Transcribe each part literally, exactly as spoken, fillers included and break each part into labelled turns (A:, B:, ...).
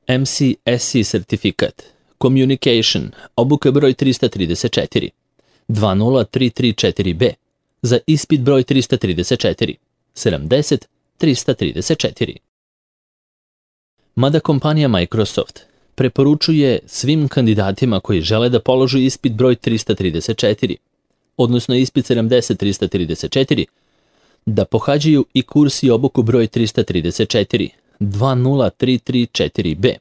A: M C S E sertifikat, Communication, obuka broj trista trideset četiri, dva nula tri tri četiri B, za ispit broj trista trideset četiri, sedamdeset trista trideset četiri. Mada kompanija Microsoft preporučuje svim kandidatima koji žele da položu ispit broj trista trideset četiri, odnosno ispit sedamdeset trista trideset četiri, da pohađaju i kurs i obuku broj trista trideset četiri, dva nula tri tri četiri B.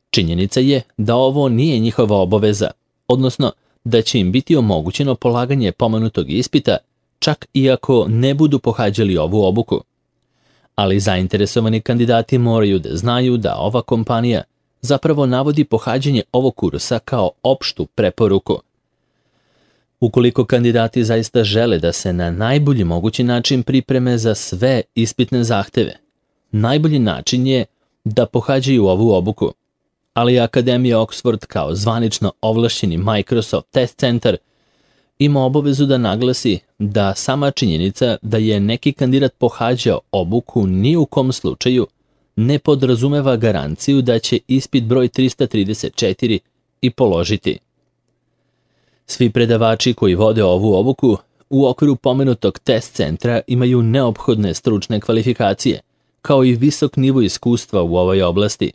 A: Činjenica je da ovo nije njihova obaveza, odnosno da će im biti omogućeno polaganje pomenutog ispita čak i ako ne budu pohađali ovu obuku. Ali zainteresovani kandidati moraju da znaju da ova kompanija zapravo navodi pohađanje ovog kursa kao opštu preporuku. Ukoliko kandidati zaista žele da se na najbolji mogući način pripreme za sve ispitne zahteve, najbolji način je da pohađaju ovu obuku, ali Akademija Oxford kao zvanično ovlašćeni Microsoft Test Centar ima obavezu da naglasi da sama činjenica da je neki kandidat pohađao obuku ni u kom slučaju ne podrazumeva garanciju da će ispit broj trista trideset četiri i položiti. Svi predavači koji vode ovu obuku u okviru pomenutog test centra imaju neophodne stručne kvalifikacije, kao i visok nivo iskustva u ovoj oblasti.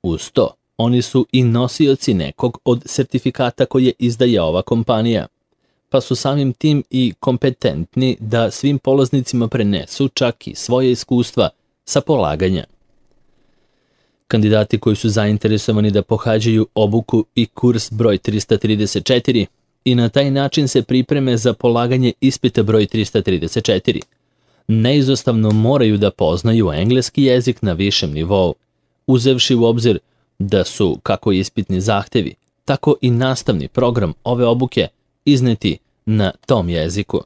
A: Uz to, oni su i nosioci nekog od sertifikata koje izdaje ova kompanija, pa su samim tim i kompetentni da svim polaznicima prenesu čak i svoje iskustva sa polaganja. Kandidati koji su zainteresovani da pohađaju obuku i kurs broj trista trideset četiri i na taj način se pripreme za polaganje ispita broj trista trideset četiri, neizostavno moraju da poznaju engleski jezik na višem nivou, uzevši u obzir da su kako ispitni zahtevi, tako i nastavni program ove obuke izneti na tom jeziku.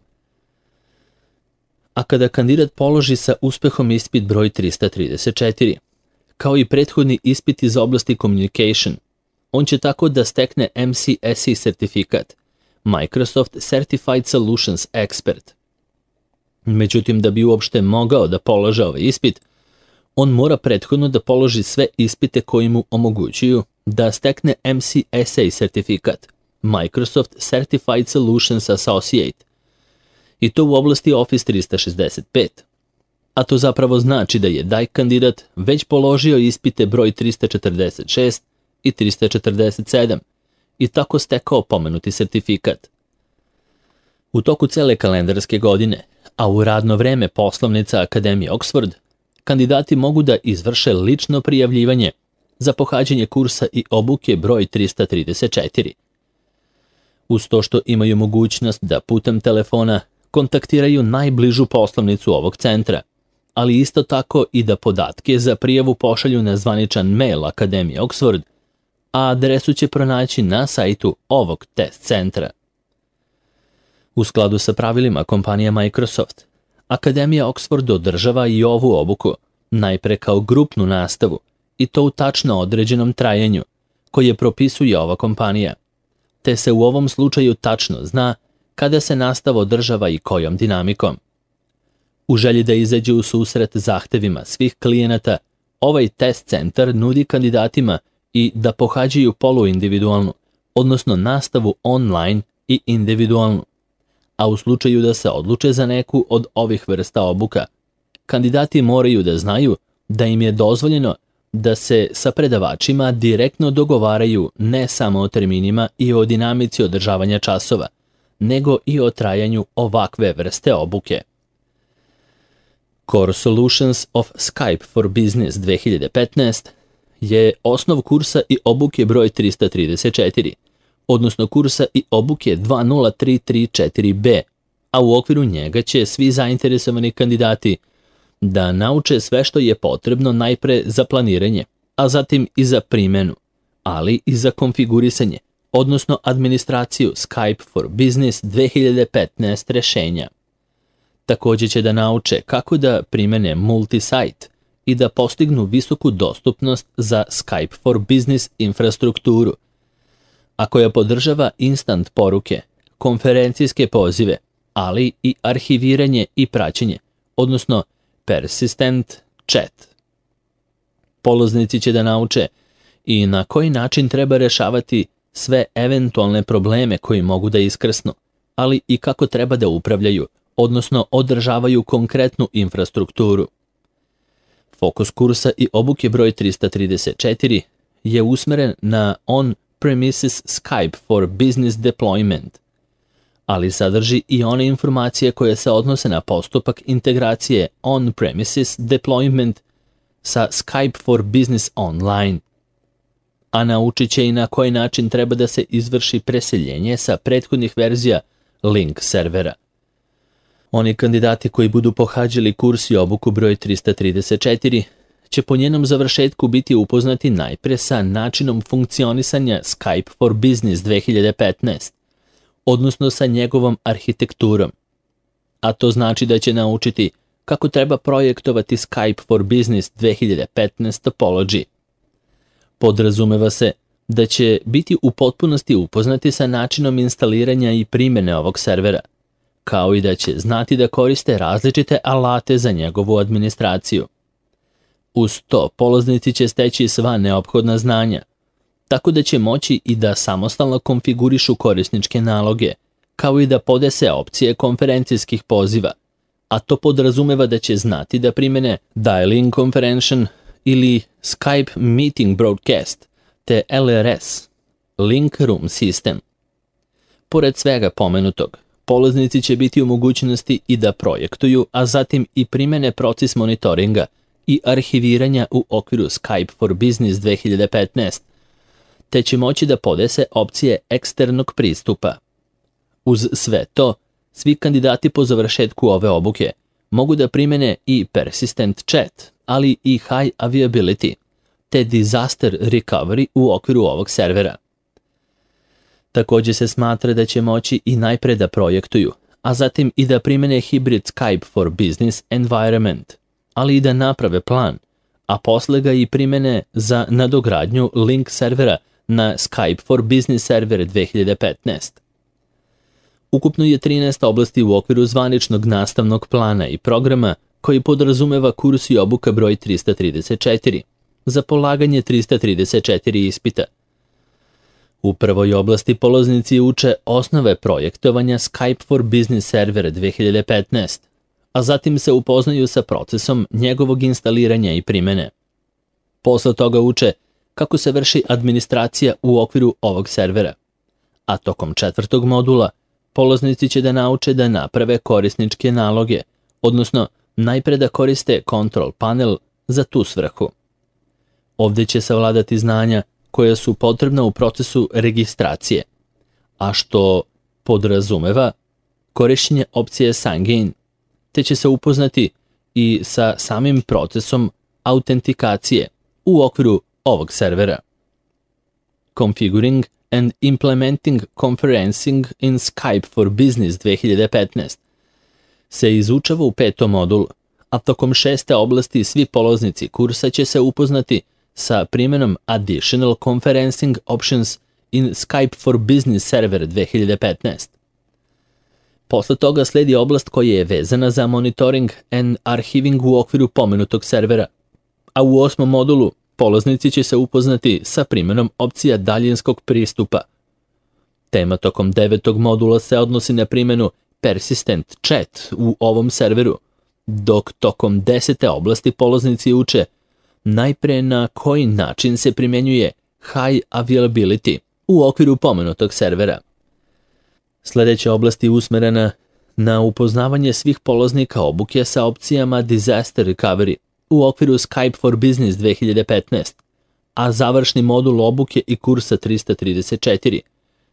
A: A kada kandidat položi sa uspehom ispit broj trista trideset četiri, kao i prethodni ispit iz oblasti Communication, on će tako da stekne M C S E sertifikat, Microsoft Certified Solutions Expert. Međutim, da bi uopšte mogao da polože ovaj ispit, on mora prethodno da položi sve ispite koji mu omogućuju da stekne M C S A sertifikat, Microsoft Certified Solutions Associate, i to u oblasti Office trista šezdeset pet. A to zapravo znači da je taj kandidat već položio ispite broj trista četrdeset šest i trista četrdeset sedam i tako stekao pomenuti sertifikat. U toku cele kalendarske godine, a u radno vreme poslovnica Akademije Oxford, kandidati mogu da izvrše lično prijavljivanje za pohađanje kursa i obuke broj trista trideset četiri. Uz to što imaju mogućnost da putem telefona kontaktiraju najbližu poslovnicu ovog centra, ali isto tako i da podatke za prijavu pošalju na zvaničan mail Akademije Oxford, a adresu će pronaći na sajtu ovog test centra. U skladu sa pravilima kompanije Microsoft, Akademija Oxford održava i ovu obuku, najpre kao grupnu nastavu, i to u tačno određenom trajanju, koje propisuje ova kompanija, te se u ovom slučaju tačno zna kada se nastava održava i kojom dinamikom. U želji da izađe u susret zahtevima svih klijenata, ovaj test centar nudi kandidatima i da pohađaju poluindividualnu, odnosno nastavu online i individualnu. A u slučaju da se odluče za neku od ovih vrsta obuka, kandidati moraju da znaju da im je dozvoljeno da se sa predavačima direktno dogovaraju ne samo o terminima i o dinamici održavanja časova, nego i o trajanju ovakve vrste obuke. Core Solutions of Skype for Business dve hiljade petnaest je osnov kursa i obuke broj trista trideset četiri, odnosno kursa i obuke dva nula tri tri četiri B, a u okviru njega će svi zainteresovani kandidati da nauče sve što je potrebno najpre za planiranje, a zatim i za primenu, ali i za konfigurisanje, odnosno administraciju Skype for Business dve hiljade petnaest rešenja. Također će da nauče kako da primene multisite i da postignu visoku dostupnost za Skype for Business infrastrukturu, a koja podržava instant poruke, konferencijske pozive, ali i arhiviranje i praćenje, odnosno persistent chat. Polaznici će da nauče i na koji način treba rešavati sve eventualne probleme koji mogu da iskrsnu, ali i kako treba da upravljaju, odnosno održavaju konkretnu infrastrukturu. Fokus kursa i obuke broj trista trideset četiri je usmeren na on-premises Skype for Business Deployment, ali sadrži i one informacije koje se odnose na postupak integracije on-premises deployment sa Skype for Business Online, a naučit će i na koji način treba da se izvrši preseljenje sa prethodnih verzija link servera. Oni kandidati koji budu pohađali kurs i obuku broj trista trideset četiri će po njenom završetku biti upoznati najpre sa načinom funkcionisanja Skype for Business dve hiljade petnaest, odnosno sa njegovom arhitekturom. A to znači da će naučiti kako treba projektovati Skype for Business dve hiljade petnaest topology. Podrazumeva se da će biti u potpunosti upoznati sa načinom instaliranja i primjene ovog servera, kao i da će znati da koriste različite alate za njegovu administraciju. Uz to, polaznici će steći sva neophodna znanja, tako da će moći i da samostalno konfigurišu korisničke naloge, kao i da podese opcije konferencijskih poziva, a to podrazumeva da će znati da primene Dial-in Conference ili Skype Meeting Broadcast, te L R S, Link Room System. Pored svega pomenutog, polaznici će biti u mogućnosti i da projektuju, a zatim i primene proces monitoringa i arhiviranja u okviru Skype for Business dve hiljade petnaest, te će moći da podese opcije eksternog pristupa. Uz sve to, svi kandidati po završetku ove obuke mogu da primene i Persistent Chat, ali i High Availability, te Disaster Recovery u okviru ovog servera. Također se smatra da će moći i najpre da projektuju, a zatim i da primene Hybrid Skype for Business Environment, ali i da naprave plan, a posle ga i primene za nadogradnju link servera na Skype for Business server dve hiljade petnaest. Ukupno je trinaest oblasti u okviru zvaničnog nastavnog plana i programa koji podrazumeva kurs i obuka broj trista trideset četiri za polaganje trista trideset četiri ispita. U prvoj oblasti polaznici uče osnove projektovanja Skype for Business server dve hiljade petnaest, a zatim se upoznaju sa procesom njegovog instaliranja i primene. Posle toga uče kako se vrši administracija u okviru ovog servera, a tokom četvrtog modula polaznici će da nauče da naprave korisničke naloge, odnosno najpre da koriste control panel za tu svrhu. Ovdje će savladati znanja koja su potrebna u procesu registracije, a što podrazumeva korišćenje opcije Sign-in, te će se upoznati i sa samim procesom autentikacije u okviru ovog servera. Configuring and Implementing Conferencing in Skype for Business dve hiljade petnaest se izučava u petom modulu, a tokom šeste oblasti svi polaznici kursa će se upoznati sa primjenom Additional Conferencing Options in Skype for Business server dve hiljade petnaest. Posle toga sledi oblast koja je vezana za monitoring and archiving u okviru pomenutog servera, a u osmom modulu polaznici će se upoznati sa primjenom opcija daljinskog pristupa. Tema tokom devetog modula se odnosi na primjenu Persistent Chat u ovom serveru, dok tokom desete oblasti polaznici uče najpre na koji način se primjenjuje High Availability u okviru pomenutog servera. Sljedeća oblast je usmerena na upoznavanje svih polaznika obuke sa opcijama Disaster Recovery u okviru Skype for Business dve hiljade petnaest, a završni modul obuke i kursa trista trideset četiri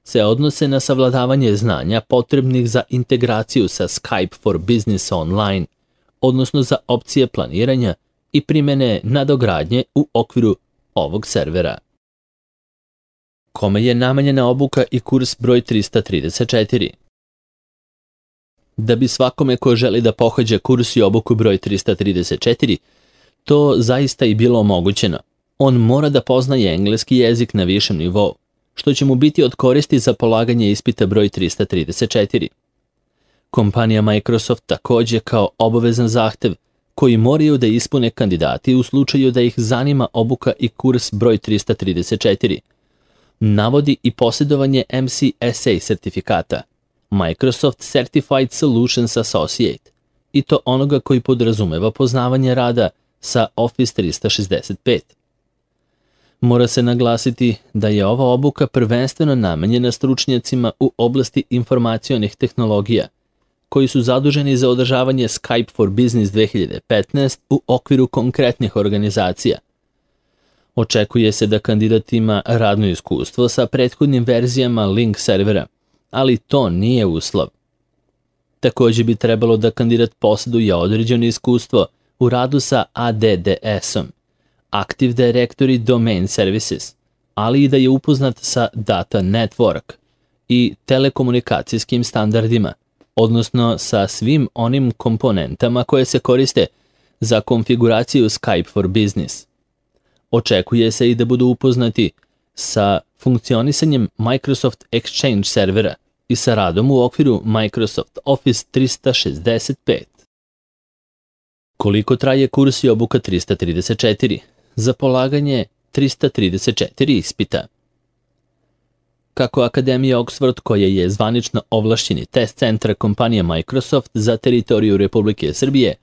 A: se odnose na savladavanje znanja potrebnih za integraciju sa Skype for Business Online, odnosno za opcije planiranja i primjene nadogradnje u okviru ovog servera. Kome je namenjena obuka i kurs broj trista trideset četiri? Da bi svakome ko želi da pohađa kurs i obuku broj trista trideset četiri, to zaista i bilo omogućeno. On mora da poznaje engleski jezik na višem nivou, što će mu biti od koristi za polaganje ispita broj trista trideset četiri. Kompanija Microsoft također kao obavezan zahtev koji moraju da ispune kandidati u slučaju da ih zanima obuka i kurs broj trista trideset četiri. Navodi i posjedovanje M C S A sertifikata, Microsoft Certified Solutions Associate, i to onoga koji podrazumeva poznavanje rada sa Office trista šezdeset pet. Mora se naglasiti da je ova obuka prvenstveno namenjena stručnjacima u oblasti informacionih tehnologija, koji su zaduženi za održavanje Skype for Business dve hiljade petnaest u okviru konkretnih organizacija. Očekuje se da kandidat ima radno iskustvo sa prethodnim verzijama Link servera, ali to nije uslov. Također bi trebalo da kandidat posjeduje određeno iskustvo u radu sa A D D S-om, Active Directory Domain Services, ali i da je upoznat sa Data Network i telekomunikacijskim standardima, odnosno sa svim onim komponentama koje se koriste za konfiguraciju Skype for Business. Očekuje se i da budu upoznati sa funkcionisanjem Microsoft Exchange servera i sa radom u okviru Microsoft Office trista šezdeset pet. Koliko traje kurs i obuka trista trideset četiri? Za polaganje trista trideset četiri ispita. Kako Akademija Oxford, koja je zvanično ovlašćeni test centar kompanije Microsoft za teritoriju Republike Srbije,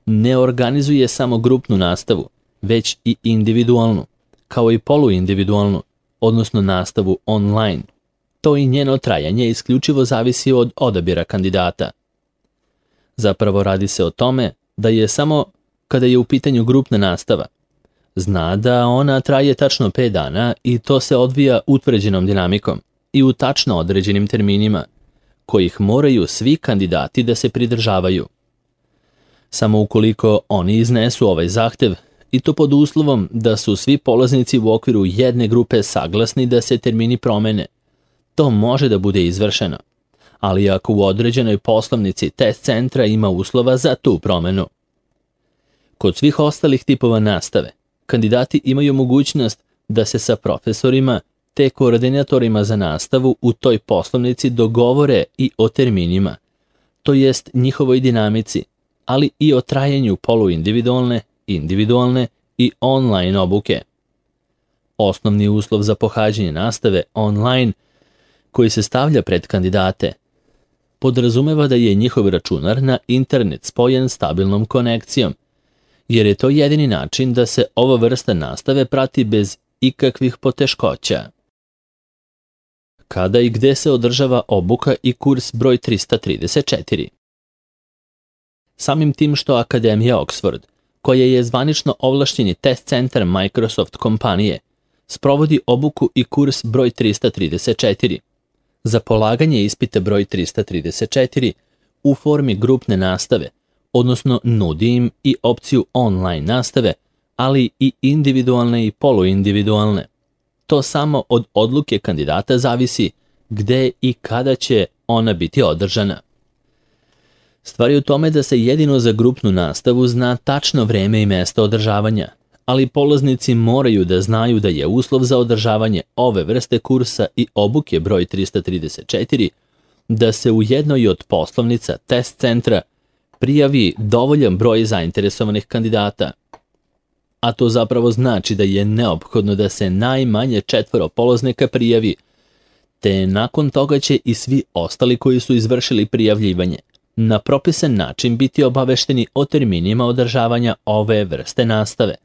A: ne organizuje samo grupnu nastavu, već i individualnu, kao i poluindividualnu, odnosno nastavu online. To i njeno trajanje isključivo zavisi od odabira kandidata. Zapravo radi se o tome da je samo kada je u pitanju grupna nastava, zna da ona traje tačno pet dana i to se odvija utvrđenom dinamikom i u tačno određenim terminima, kojih moraju svi kandidati da se pridržavaju. Samo ukoliko oni iznesu ovaj zahtev, i to pod uslovom da su svi polaznici u okviru jedne grupe saglasni da se termini promene, to može da bude izvršeno, ali ako u određenoj poslovnici test centra ima uslova za tu promenu. Kod svih ostalih tipova nastave, kandidati imaju mogućnost da se sa profesorima te koordinatorima za nastavu u toj poslovnici dogovore i o terminima, to jest njihovoj dinamici, ali i o trajanju poluindividualne, individualne i online obuke. Osnovni uslov za pohađanje nastave online, koji se stavlja pred kandidate, podrazumeva da je njihov računar na internet spojen stabilnom konekcijom, jer je to jedini način da se ova vrsta nastave prati bez ikakvih poteškoća. Kada i gde se održava obuka i kurs broj trista trideset četiri? Samim tim što Akademija Oxford, koja je zvanično ovlašćeni test centar Microsoft kompanije, sprovodi obuku i kurs broj trista trideset četiri. Za polaganje ispita broj trista trideset četiri u formi grupne nastave, odnosno nudi im i opciju online nastave, ali i individualne i poluindividualne. To samo od odluke kandidata zavisi gde i kada će ona biti održana. Stvar je u tome da se jedino za grupnu nastavu zna tačno vreme i mesto održavanja, ali polaznici moraju da znaju da je uslov za održavanje ove vrste kursa i obuke broj trista trideset četiri da se u jednoj od poslovnica test centra prijavi dovoljan broj zainteresovanih kandidata. A to zapravo znači da je neophodno da se najmanje četvoro polaznika prijavi, te nakon toga će i svi ostali koji su izvršili prijavljivanje na propisan način biti obavešteni o terminima održavanja ove vrste nastave.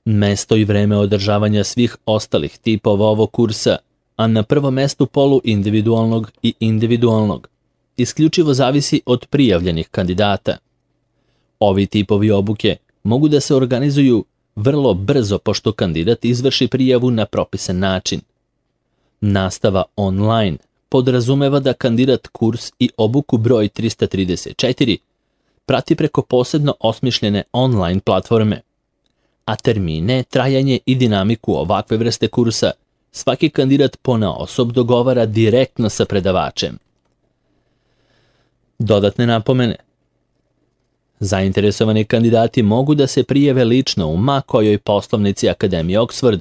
A: Mesto i vreme održavanja svih ostalih tipova ovog kursa, a na prvom mestu polu individualnog i individualnog, isključivo zavisi od prijavljenih kandidata. Ovi tipovi obuke mogu da se organizuju vrlo brzo pošto kandidat izvrši prijavu na propisan način. Nastava online podrazumeva da kandidat kurs i obuku broj trista trideset četiri prati preko posebno osmišljene online platforme, a termine, trajanje i dinamiku ovakve vrste kursa svaki kandidat ponaosob dogovara direktno sa predavačem. Dodatne napomene. Zainteresovani kandidati mogu da se prijave lično u ma kojoj poslovnici Akademije Oxford,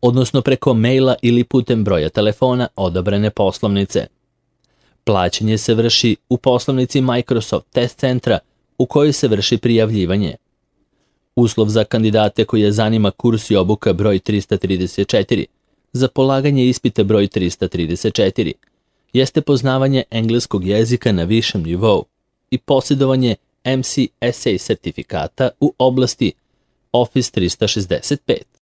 A: odnosno preko maila ili putem broja telefona odabrane poslovnice. Plaćanje se vrši u poslovnici Microsoft test centra u kojoj se vrši prijavljivanje. Uslov za kandidate koje zanima kurs i obuka broj trista trideset četiri za polaganje ispita broj trista trideset četiri jeste poznavanje engleskog jezika na višem nivou i posjedovanje M C S A sertifikata u oblasti Office trista šezdeset pet.